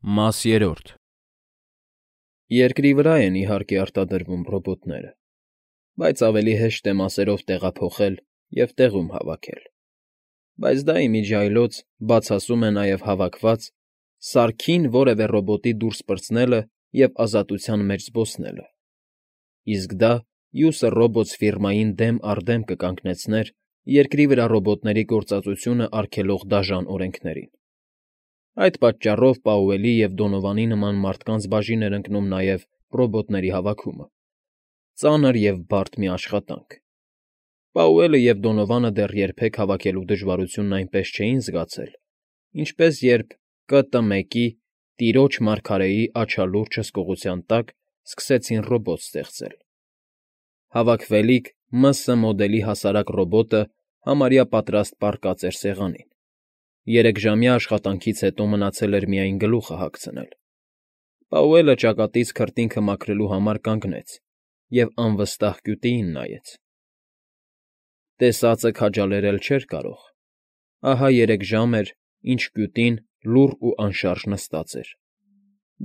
Մաս երրորդ Երկրի վրա են, իհարկե, արտադրվում ռոբոտները, բայց ավելի հեշտ է մասերով տեղափոխել և տեղում հավաքել, բայց դա ի միջի այլոց բացասում է նաև հավաքված, սարքին որևէ ռոբոտի դուրս պրծնելը և ազատության մեջ զբոսնելը, իսկ դա մյուսը ռոբոտ֊ֆիրմային դեմ առ դեմ կկանգնեցներ երկրի վրա ռոբոտների գործածությունը արգելող դաժան օրենքներին. Այդ պատճառով Պաուելի և Դոնովանի նման մարդկանց բաժին էր ընկնում նաև ռոբոտների հավաքումը. ծանր և բարդ մի աշխատանք. Պաուելը և Դոնովանը դեռ երբեք հավաքելու դժվարությունն այնպես չէին զգացել, ինչպես երբ Կ.Տ.Մ.-ի՝ տիրոջ մարգարեի աչալուրջ հսկողության տակ սկսեցին ռոբոտ ստեղծել. հավաքվելիք Մ.Ս. մոդելի հասարակ ռոբոտը համարյա պատրաստ պառկած էր սեղանին, 3-ժամյա աշխատանքից հետո մնացել էր միայն գլուխը հագցնել. Պաուելը ճակատից քրտինքը մաքրելու համար կանգնեց և անվստահ կյութիին նայեց. տեսածը քաջալերել չէր կարող, ահա 3 ժամ էր, ինչ կյութին լուռ ու անշարժ նստած էր,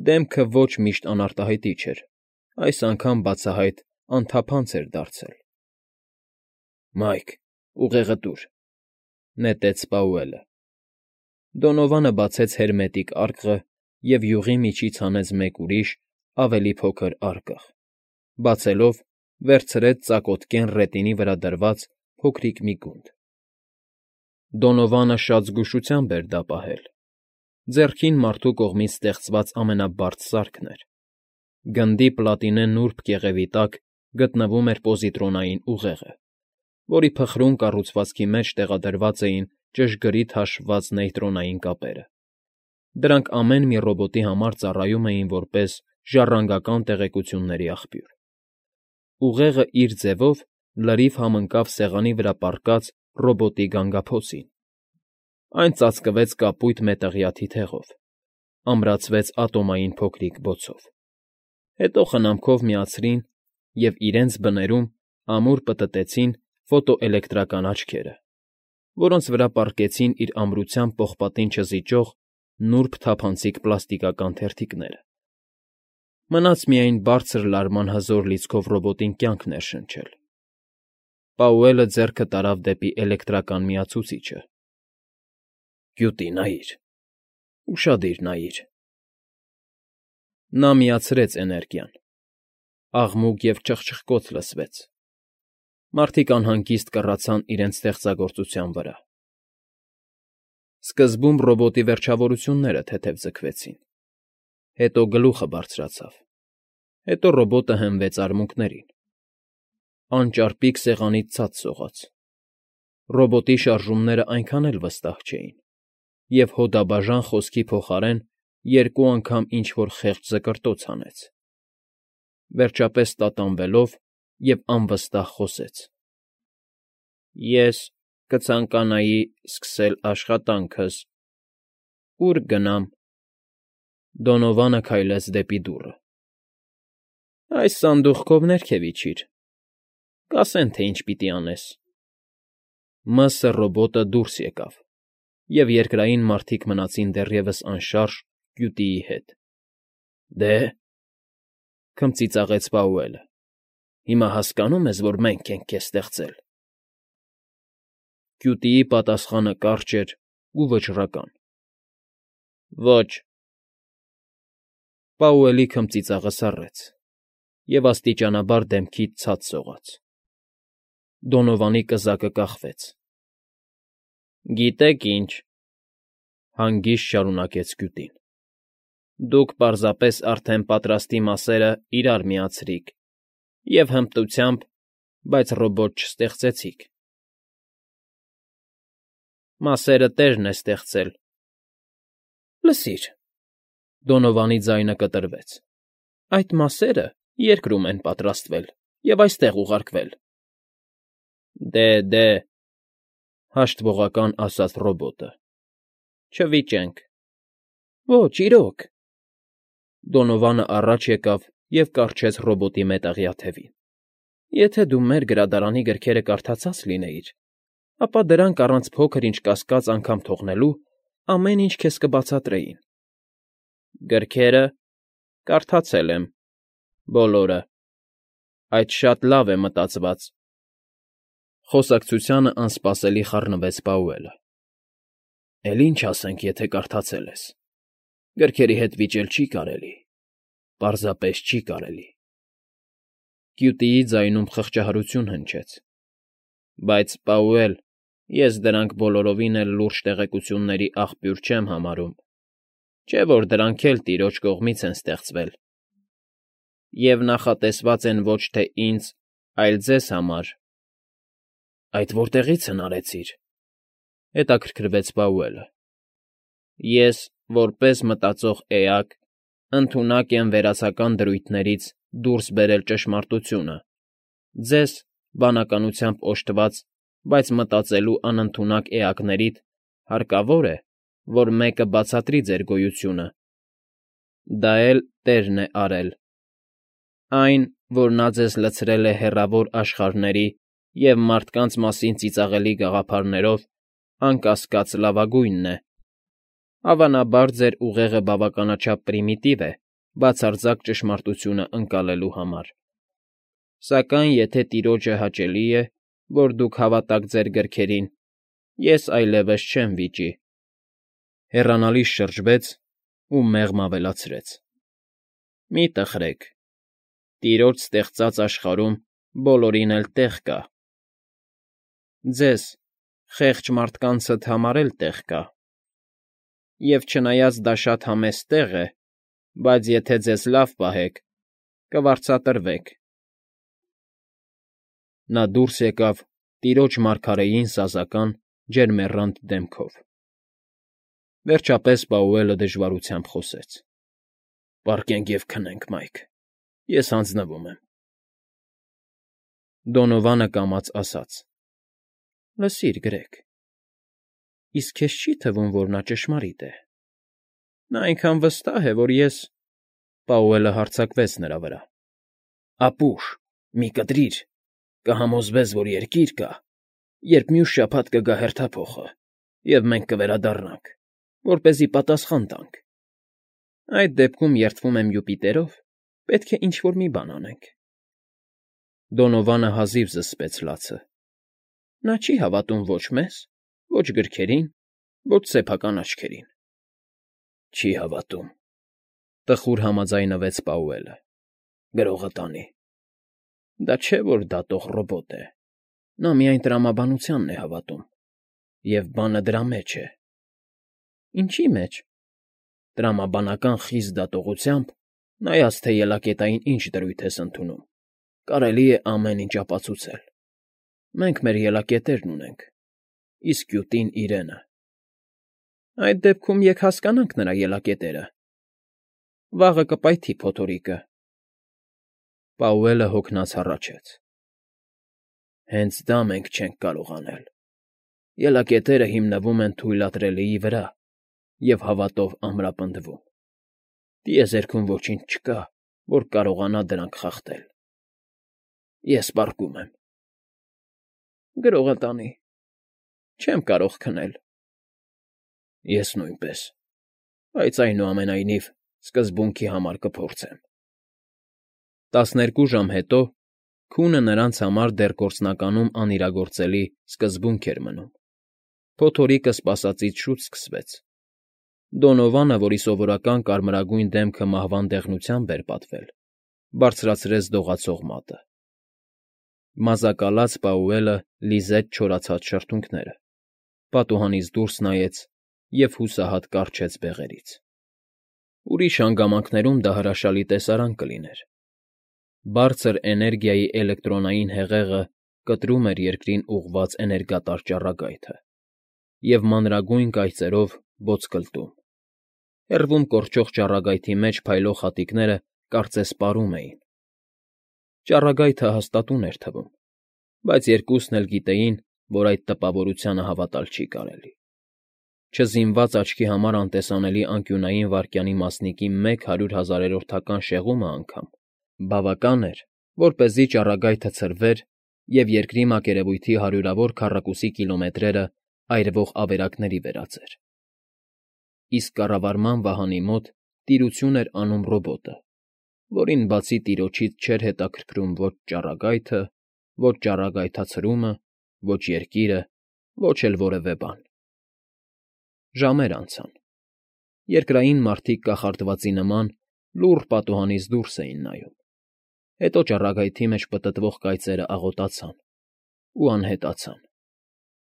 դեմքը ոչ միշտ անարտահայտիչ էր, այս անգամ բացահայտ անթափանց էր դարձել։ ֊ Մայք, ուղեղը տուր,֊ նետեց Պաուելը։ Դոնովանը բացեց հերմետիկ արկղը և յուղի միջից հանեց մեկ ուրիշ, ավելի փոքր արկղ, բացելով, վերցրեց ծակոտկեն ռետինի վրա դրված փոքրիկ մի գունդ։ Դոնովանը շատ զգուշությամբ էր դա պահել. ձեռքին մարդու կողմից ստեղծված ամենաբարդ սարքն էր, գնդի պլատինե նուրբ կեղևի տակ գտնվում էր պոզիտրոնային ուղեղը, որի փխրուն կառուցվածքի մեջ տեղադրված էին ճշգրիտ հաշվված նեյտրոնային կապերը. դրանք ամեն մի ռոբոտի համար ծառայում էին որպես ժառանգական տեղեկությունների աղբյուր։ Ուղեղը իր ձևով լրիվ համընկավ սեղանի վրա պառկած ռոբոտի գանգափոցին, այն ծածկվեց կապույտ մետաղյա թիթեղով, ամրացվեց ատոմային փոքրիկ բոցով, հետո խնամքով միացրին և իրենց բներում ամուր պտտեցին ֆոտոէլեկտրական աչքերը, որոնց վրա պառկեցին իր ամրությամբ պողպատին չզիջող նուրբ թափանցիկ պլաստիկական թերթիկները։ Մնաց միայն բարձր լարման հզոր լիցքով ռոբոտին կյանք ներշնչել։ Պաուելը ձեռքը տարավ դեպի էլեկտրական միացուցիչը։ ֊ Կյութի նայիր, ուշադիր նայիր։ Նա միացրեց էներգիան։ Աղմուկ և չխչխկոց լսվեց։ Մարդիկ անհանգիստ կռացան իրենց ստեղծագործության վրա։ Սկզբում ռոբոտի վերջավորությունները թեթև ձգվեցին, հետո գլուխը բարձրացավ, հետո ռոբոտը հենվեց արմունկներին, անճարպիկ սեղանից ցած սողաց։ Ռոբոտի շարժումներն այնքան էլ վստահ չէին, և հոդաբաժան խոսքի փոխարեն 2 անգամ ինչ֊որ խեղճ զկրտոց հանեց, վերջապես տատանվելով և անվստահ խոսեց. Ես կցանկանայի սկսել աշխատանքս։ Ո՞ւր գնամ։ Դոնովանը քայլեց դեպի դուռը։ Այս սանդուղքով ներքև իջիր, կասեն, թե ինչ պիտի անես։ Մ.Ս. ռոբոտը դուրս եկավ, և երկրային մարդիկ մնացին դեռևս անշարժ կյութիի հետ։ Դե՞,֊ քմծիծաղեց Պաուելը,֊ հիմա հասկանո՞ւմ ես, որ մենք ենք քեզ ստեղծել։ Կյութիի պատասխանը կարճ էր ու վճռական. Ոչ։ Պաուելի քմծիծաղը սառեց և աստիճանաբար դեմքից ցած սողաց։ Դոնովանի կզակը կախվեց։ Գիտեք ինչ,֊ հանգիստ շարունակեց կյութին,֊ դուք պարզապես արդեն պատրաստի մասերը իրար միացրիք և հմտությամբ, բայց ռոբոտ չստեղծեցիք։ Մասերը տերն է ստեղծել։ Լսիր,֊ Դոնովանի ձայնը կտրվեց,֊ այդ մասերը երկրում են պատրաստվել և այստեղ ուղարկվել։ Դե,, հաշտվողական ասաց ռոբոտը,֊ չվիճենք։ Ոչ, իրոք… Դոնովանը առաջ եկավ և կառչեց ռոբոտի մետաղյա թևին։ Եթե դու մեր գրադարանի գրքերը կարդացած լինեիր, ապա դրանք առանց փոքր֊ինչ կասկած անգամ թողնելու ամեն ինչ քեզ կբացատրեին։ Գրքերը կարդացել եմ, բոլորը, այդ շատ լավ է մտածված։ Խոսակցությանը անսպասելի խառնվեց Պաուելը։ Էլ ինչ ասենք, եթե կարդացել ես։ Գրքերի հետ վիճել չի կարելի, պարզապես չի կարելի։ Կյուտիի ձայնում խղճահարություն հնչեց։ Բայց, Պաուել, ես դրանք բոլորովին էլ լուրջ տեղեկությունների աղբյուր չեմ համարում, չէ՞ որ դրանք էլ տիրոջ կողմից են ստեղծվել։ Եվ նախատեսված են ոչ թե ինձ, այլ ձեզ համար։ Այդ որտեղի՞ց հնարեցիր,֊ հետաքրքրվեց Պաուելը։ Ես, որպես մտածող էակ, ընդունակ եմ վերացական դրույթներից դուրս բերել ճշմարտությունը, ձեզ, բանականությամբ օժտված, բայց մտածելու անընդունակ էակներիդ հարկավոր է, որ մեկը բացատրի ձեր գոյությունը։ Դա էլ Տերն է արել։ Այն, որ նա ձեզ լցրել է հեռավոր աշխարհների և մարդկանց մասին ծիծաղելի գաղափարներով, անկասկած լավագույնն է։ Հավանաբար ձեր ուղեղը բավականաչափ պրիմիտիվ է բացարձակ ճշմարտությունը ընկալելու համար։ Սակայն եթե տիրոջը հաճելի է, որ դուք հավատաք ձեր գրքերին, ես այլևս չեմ վիճի։ Հեռանալիս շրջվեց ու մեղմ ավելացրեց. Մի տխրեք, տիրոջ ստեղծած աշխարհում բոլորին էլ տեղ կա։ Ձեզ, խեղճ մարդկանցդ համար էլ տեղ կա։ Եվ չնայած դա շատ համեստ տեղ է, բայց եթե ձեզ լավ պահեք, կվարձատրվեք։ Նա դուրս եկավ տիրոջ մարգարեին սազական, ջերմեռանդ դեմքով։ Վերջապես Պաուելը դժվարությամբ խոսեց. Պառկենք և քնենք, Մայք, ես հանձնվում եմ։ Դոնովանը կամաց ասաց. Լսիր, Գրեգ, իսկ քեզ չի՞ թվում, որ նա ճշմարիտ է։ Նա այնքան վստահ է, որ ես… Պաուելը հարձակվեց նրա վրա. Ապուշ, մի կտրիր, կհամոզվես, որ երկիր կա, երբ մյուս շաբաթ կգա հերթափոխը, և մենք կվերադառնանք, որպեսզի պատասխան տանք։ Այդ դեպքում երդվում եմ Յուպիտերով, պետք է ինչ֊որ մի բան անենք։ Դոնովանը հազիվ զսպեց լացը։ Նա չի հավատում ոչ մեզ, ոչ գրքերին, ոչ սեփական աչքերին։ Չի հավատում,֊ տխուր համաձայնվեց Պաուելը։ Գրողը տանի։ Դա չէ, որ դատող ռոբոտ է։ Նա միայն տրամաբանությանն է հավատում։ Եվ բանը դրա մեջ է։ Ինչի՞ մեջ։ Տրամաբանական խիստ դատողությամբ, նայած թե ելակետային ինչ դրույթ ես ընդունում, կարելի է ամեն ինչ ապացուցել։ Մենք մեր ելակետերն ունենք, իսկ կյուտին իրենը։ Այդ դեպքում եկ հասկանանք նրա ելակետերը։ Վաղը կպայթի փոթորիկը։ Պաուելը հոգնած հառաչեց. Հենց դա մենք չենք կարող անել։ Ելակետերը հիմնվում են թույլատրելիի վրա և հավատով ամրապնդվում։ Տիեզերքում ոչինչ չկա, որ կարողանա դրանք խախտել։ Ես պառկում եմ։ Գրողը տանի։ Չեմ կարող քնել։ Ես նույնպես, բայց այնուամենայնիվ սկզբունքի համար կփորձեմ։ 12 ժամ հետո քունը նրանց համար դեռ գործնականում անիրագործելի սկզբունք էր մնում։ Փոթորիկը սպասածից շուտ սկսվեց։ Դոնովանը, որի սովորական կարմրագույն դեմքը մահվան դեղնությամբ էր պատվել, բարձրացրեց դողացող մատը։ Մազակալած Պաուելը լիզեց չորացած շրթունքները, պատուհանից դուրս նայեց և հուսահատ կառչեց բեղերից։ Ուրիշ հանգամանքներում դա հրաշալի տեսարան կլիներ։ Բարձր էներգիայի էլեկտրոնային հեղեղը կտրում էր երկրին ուղղված էներգատար ճառագայթը և մանրագույն կայծերով բոծկլտում։ Հեռվում կորչող ճառագայթի մեջ փայլող հատիկները կարծես պարում էին։ Ճառագայթը հաստատուն էր թվում, բայց երկուսն էլ գիտեին, որ այդ տպավորությանը հավատալ չի կարելի։ Չզինված աչքի համար անտեսանելի անկյունային վայրկյանի մասնիկի 100 000-րդական շեղումը անգամ բավական էր, որպեսզի ճառագայթը ցրվեր և երկրի մակերևույթի հարյուրավոր քառակուսի կիլոմետրերը այրվող ավերակների վերածեր։ Իսկ կառավարման վահանի մոտ տիրություն էր անում ռոբոտը, որին բացի տիրոջից չէր հետաքրքրում ոչ ճառագայթը, ոչ ճառագայթացրումը, ոչ երկիրը, ոչ էլ որևէ բան։ Ժամեր անցան։ Երկրային մարդիկ կախարդվածի նման լուռ պատուհանից դուրս էին նայում։ Հետո ճառագայթի մեջ պտտվող կայծերը աղոտացան ու անհետացան։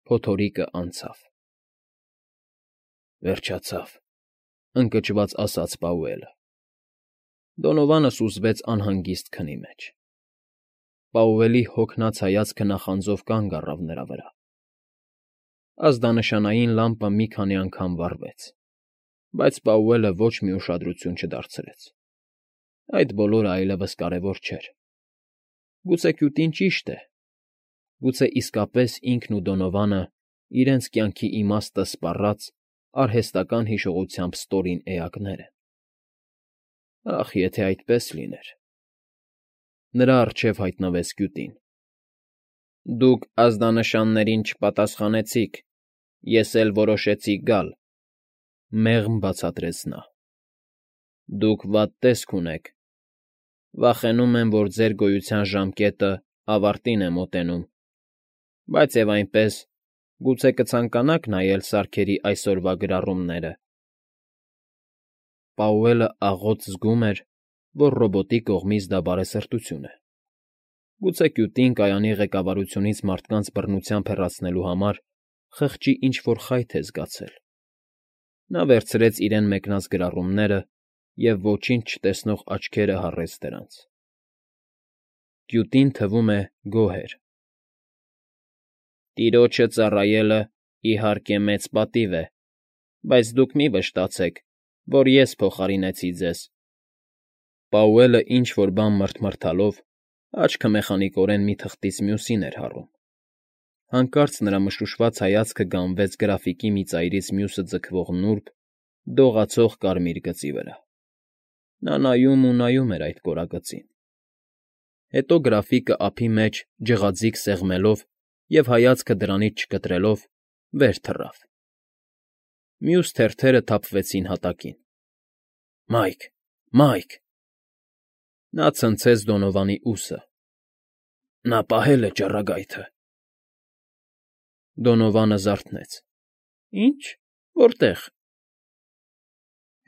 Փոթորիկը անցավ։ Վերջացավ, ընկճված ասաց Պաուելը։ Դոնովանը սուզվեց անհանգիստ քնի մեջ։ Պաուելի հոգնած հայացքը նախանձով կանգ առավ նրա վրա։ Ազդանշանային լամպը մի քանի անգամ վառվեց, բայց Պաուելը ոչ մի ուշադրություն չդարձրեց։ Այդ բոլորը այլևս կարևոր չէր։ Գուցե Կյութին ճիշտ է։ Գուցե իսկապես ինքն ու Դոնովանը իրենց կյանքի իմաստը սպառած արհեստական հիշողությամբ ստորին էակներ են։ Ախ, եթե այդպես լիներ… Նրա առջև հայտնվեց Կյութին։ Դուք ազդանշաններին չպատասխանեցիք, ես էլ որոշեցի գալ,֊ մեղմ բացատրեց նա։ Դուք վատ տեսք ունեք։ Վախենում եմ, որ ձեր գոյության ժամկետը ավարտին է մոտենում, բայց և այնպես, գուցե կցանկանաք նայել սարքերի այսօրվա գրառումները… Պաուելը աղոտ զգում էր, որ ռոբոտի կողմից դա բարեսրտություն է։ Գուցե Կյութին կայանի ղեկավարությունից մարդկանց բռնությամբ հեռացնելու համար խղճի ինչ֊որ խայթ է զգացել։ Նա վերցրեց իրեն մեկնած գրառումները և ոչինչ չտեսնող աչքերը հառեց դրանց։ Կյութին, թվում է, գոհ էր։ Տիրոջը ծառայելը, իհարկե, մեծ պատիվ է, բայց դուք մի վշտացեք, որ ես փոխարինեցի ձեզ… Պաուելը ինչ֊որ բան մռթմռթալով աչքը մեխանիկորեն մի թղթից մյուսին էր հառում։ Հանկարծ նրա մշուշված հայացքը գանվեց գրաֆիկի մի ծայրից մյուսը ձգվող նուրբ, դողացող կարմիր գծի վրա։ Նա նայում ու նայում էր այդ կորագծին։ Հետո գրաֆիկը ափի մեջ ջղաձիգ սեղմելով և հայացքը դրանից չկտրելով, վեր թռավ։ Մյուս թերթերը թափվեցին հատակին։ Մայք… Մայք… Նա ցնցեց Դոնովանի ուսը։ Նա պահել է ճառագայթը… Դոնովանը զարթնեց։ Ի՞նչ… Որտե՞ղ…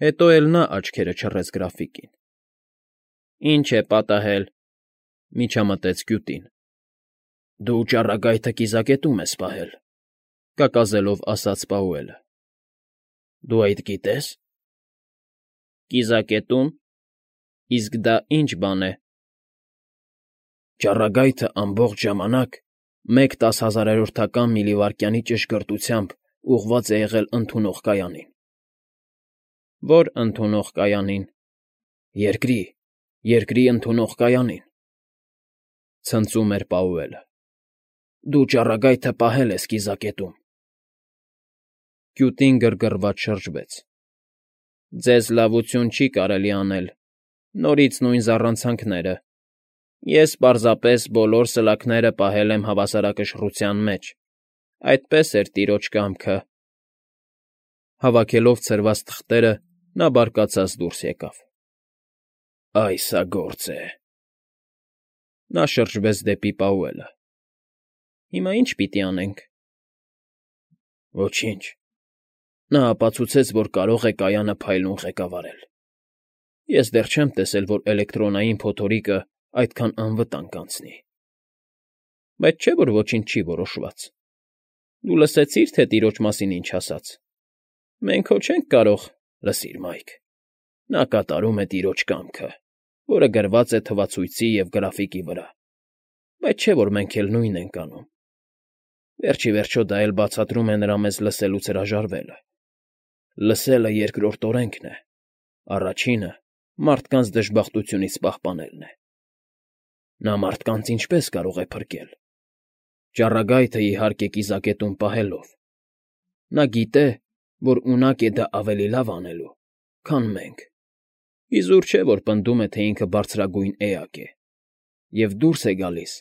Հետո էլ նա աչքերը չռեց գրաֆիկին։ Ինչ է պատահել,֊ միջամտեց Կյութին։ Դու ճառագայթը կիզակետում ես պահել,֊ կակազելով ասաց Պաուելը։ Դու այդ գիտե՞ս։ Կիզակետո՞ւմ… Իսկ դա ի՞նչ բան է։ Ճառագայթը ամբողջ ժամանակ 1/10000-ական միլիվայրկյանի ճշգրտությամբ ուղղված է եղել ընդունող կայանին։ Ո՞ր ընդունող կայանին։ Երկրի ընդունող կայանին,֊ ցնծում էր Պաուելը։ Դու ճառագայթը պահել ես կիզակետում… Կյութին գրգռված շրջվեց։ Ձեզ լավություն չի կարելի անել, նորից նույն զառանցանքները… Ես պարզապես բոլոր սլաքները պահել եմ հավասարակշռության մեջ, այդպես էր տիրոջ կամքը… Հավաքելով ցրված թղթերը՝ նա բարկացած դուրս եկավ։ Այ սա գործ է… Նա շրջվեց դեպի Պաուելը։ Հիմա ի՞նչ պիտի անենք։ Ոչինչ… Նա ապացուցեց, որ կարող է կայանը փայլուն ղեկավարել։ Ես դեռ չեմ տեսել, որ էլեկտրոնային փոթորիկը այդքան անվտանգ անցնի։ Բայց չէ՞ որ ոչինչ չի որոշված։ Դու լսեցի՞ր, թե տիրոջ մասին ինչ ասաց։ Մենք հո չենք կարող… Լսիր, Մայք… Նա կատարում է տիրոջ կամքը, որը գրված է թվացույցի և գրաֆիկի վրա, բայց չէ՞ որ մենք էլ նույնն ենք անում։ Վերջ ի վերջո դա էլ բացատրում է նրա մեզ լսելուց հրաժարվելը։ Լսելը երկրորդ օրենքն է, առաջինը մարդկանց դժբախտությունից պահպանելն է։ Նա մարդկանց ինչպե՞ս կարող է փրկել։ Ճառագայթը, իհարկե, կիզակետում պահելով։ Նա գիտե, որ ունակ է դա ավելի լավ անելու, քան մենք։ Իզուր չէ, որ պնդում է, թե ինքը բարձրագույն էակ է, և դուրս է գալիս,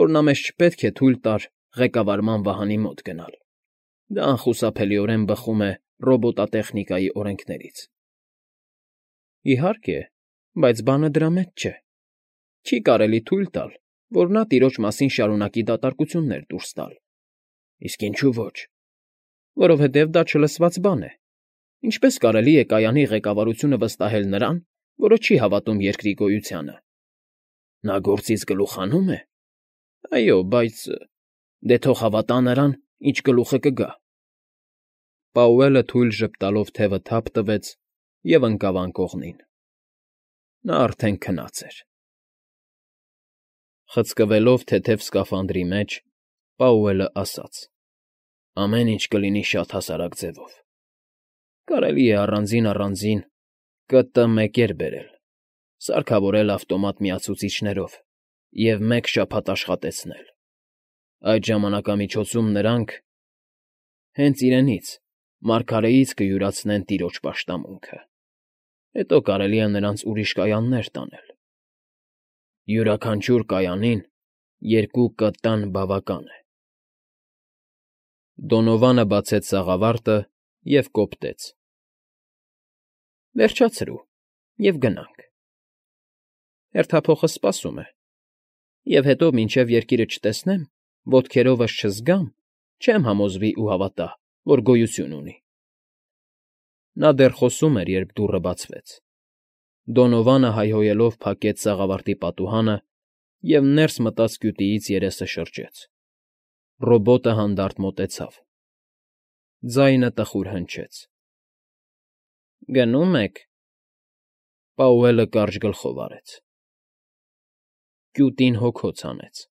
որ նա մեզ չպետք է թույլ տար ղեկավարման վահանի մոտ գնալ։ Դա անխուսափելիորեն բխում է ռոբոտատեխնիկայի օրենքներից։ Իհարկե, բայց բանը դրա մեջ չէ։ Չի կարելի թույլ տալ, որ նա տիրոջ մասին շարունակի դատարկություններ դուրս տալ։ Իսկ ինչու ոչ։ Որովհետև դա չլսված բան է։ Ինչպես կարելի է կայանի ղեկավարությունը վստահել նրան, որը չի հավատում երկրի գոյությանը։ Նա գործից գլուխ հանում է։ Այո, բայց դե թող հավատա նրան, ինչ գլուխը կգա։ Պաուելը թույլ ժպտալով թևը թափ տվեց և ընկավ անկողնին։ Նա արդեն քնած էր։ Խցկվելով թեթև սկաֆանդրի մեջ, Պաուելը ասաց. «Ամեն ինչ կլինի շատ հասարակ ձևով։ Կարելի է առանձին ԿՏ-1 բերել, սարքավորել ավտոմատ միացուցիչներով և մեկ շաբաթ աշխատեցնել։ Այդ ժամանակամիջոցում նրանք հենց իրենից, մարգարեից կյուրացնեն տիրոջ պաշտամունքը։ Հետո կարելի է նրանց ուրիշ կայաններ տանել։ Յուրաքանչյուր կայանին 2 ԿՏ-ն բավական է»։ Դոնովանը բացեց սաղավարտը և կոպտեց. «Վերջացրու և գնանք։ Հերթափոխը սպասում է, և հետո, մինչև երկիրը չտեսնեմ, ոտքերովս չզգամ, չեմ համոզվի ու հավատա, որ գոյություն ունի»։ Նա դեռ խոսում էր, երբ դուռը բացվեց։ Դոնովանը հայհոյելով փակեց սաղավարտի պատուհանը և ներս մտած կյութիից երեսը շրջեց։ Ռոբոտը հանդարտ մոտեցավ։ Ձայնը տխուր հնչեց. «Գնում ե՞ք»։ Պաուելը կարճ գլխով արեց։ Կյութին հոգոց հանեց։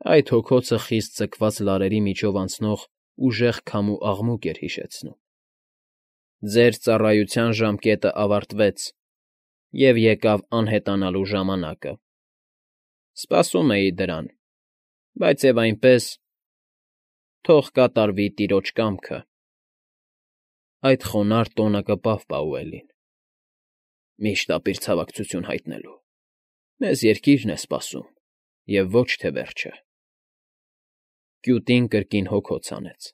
Այդ հոգոցը խիստ ձգված լարերի միջով անցնող ուժեղ քամու աղմուկ էր հիշեցնում։ «Ձեր ծառայության ժամկետը ավարտվեց, և եկավ անհետանալու ժամանակը։ Սպասում էի դրան, բայց և այնպես, թող կատարվի տիրոջ կամքը»։ Այդ խոնարհ տոնը կպավ Պաուելին։ «Միշտ ապիր ցավակցություն հայտնելու։ Մեզ երկիրն է սպասում, և ոչ թե վերջը»։ Կյութին կրկին հոգոց հանեց։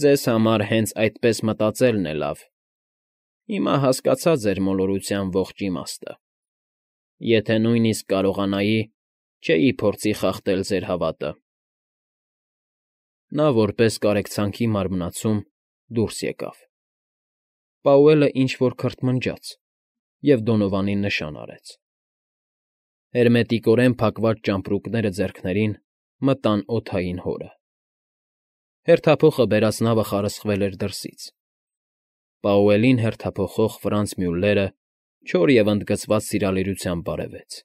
«Ձեզ համար հենց այդպես մտածելն է լավ։ Հիմա հասկացա ձեր մոլորության ողջ իմաստը։ Եթե նույնիսկ կարողանայի, չէի փորձի խախտել ձեր հավատը»։ Նա որպես կարեկցանքի մարմնացում դուրս եկավ։ Պաուելը ինչ֊որ քրթմնջաց և Դոնովանին նշան արեց։ Հերմետիկորեն փակված ճամպրուկները ձեռքներին մտան օդային հորը։ Հերթափոխը բերած նավը խարսխվել էր դրսից։ Պաուելին հերթափոխող Ֆրանց Մյուլլերը չոր և ընդգծված սիրալիրությամբ բարևեց։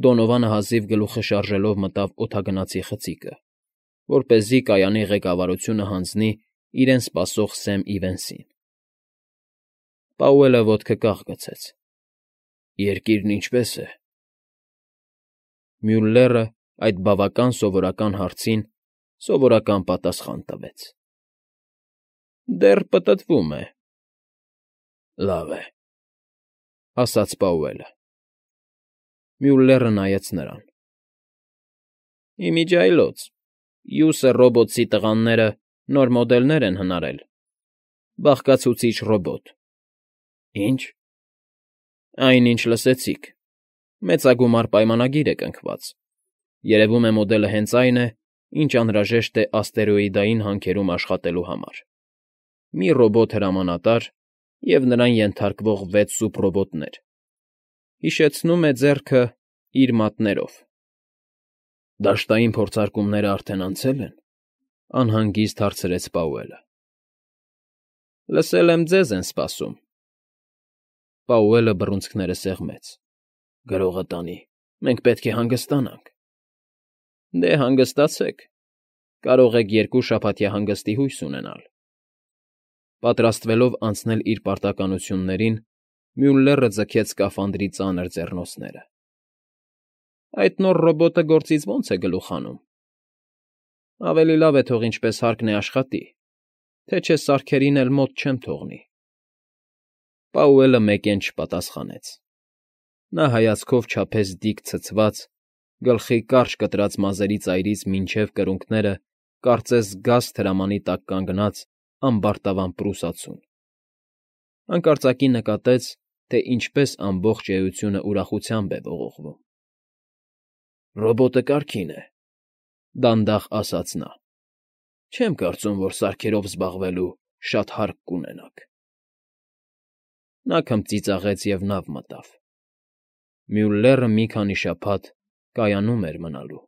Դոնովանը հազիվ գլուխը շարժելով մտավ օդագնացի խցիկը, որպեսզի կայանի ղեկավարությունը հանձնի իրեն սպասող Սեմ Իվենսին։ Պաուելը ոտքը կախ գցեց։ «Երկիրն ինչպե՞ս է»։ Մյուլլերը այդ բավական սովորական հարցին սովորական պատասխան տվեց. «Դեռ պտտվում է»։ «Լավ է», ասաց Պաուելը։ Մյուլլերը նայեց նրան։ «Ի միջի այլոց Յուսը ռոբոտցի տղաները նոր մոդելներ են հնարել։ Բաղկացուցիչ ռոբոտ»։ «Ի՞նչ»։ «Այն, ինչ լսեցիք։ Մեծագումար պայմանագիր է կնքված։ Երևում է մոդելը հենց այն է, ինչ անհրաժեշտ է աստերոիդային հանքերում աշխատելու համար։ Մի ռոբոտ հրամանատար և նրան ենթարկվող 6 սուպռոբոտներ։ Հիշեցնում է ձեռքը իր մատներով»։ «Դաշտային փորձարկումներն արդեն անցե՞լ են»։ Անհանգիստ հարցրեց Պաուելը։ «Լսել եմ, ձեզ են սպասում»։ Պաուելը բռունցքները սեղմեց։ «Գրողը տանի, մենք պետք է հանգստանանք»։ «Դե, հանգստացեք։ Կարող եք 2 շաբաթյա հանգստի հույս ունենալ»։ Պատրաստվելով անցնել իր պարտականություններին, Մյուլլերը ձգեց սկաֆանդրի ծանր ձեռնոցները։ «Այդ նոր ռոբոտը գործից ո՞նց է գլուխ հանում»։ «Ավելի լավ է թող ինչպես հարկն է աշխատի, թե չէ սարքերին էլ մոտ չեմ թողնի»։ Պաուելը մեկեն չպատասխանեց։ Նա հայացքով չափեց դիք ցցված, գլխի կարճ կտրած մազերի ծայրից մինչև կրունկները կարծես գաստ հրամանի տակ կանգնած ամբարտավան պրուսացուն։ Հանկարծակի նկատեց, թե ինչպես ամբողջ էությունը ուրախությամբ է ողողվում։ ֊ Ռոբոտը կարգին է,֊ դանդաղ ասաց նա։֊ Չեմ կարծում, որ սարքերով զբաղվելու շատ հարկ կունենաք… Նա քմծիծաղեց և նավ մտավ. Մյուլլերը մի քանի շաբաթ կայանում էր մնալու։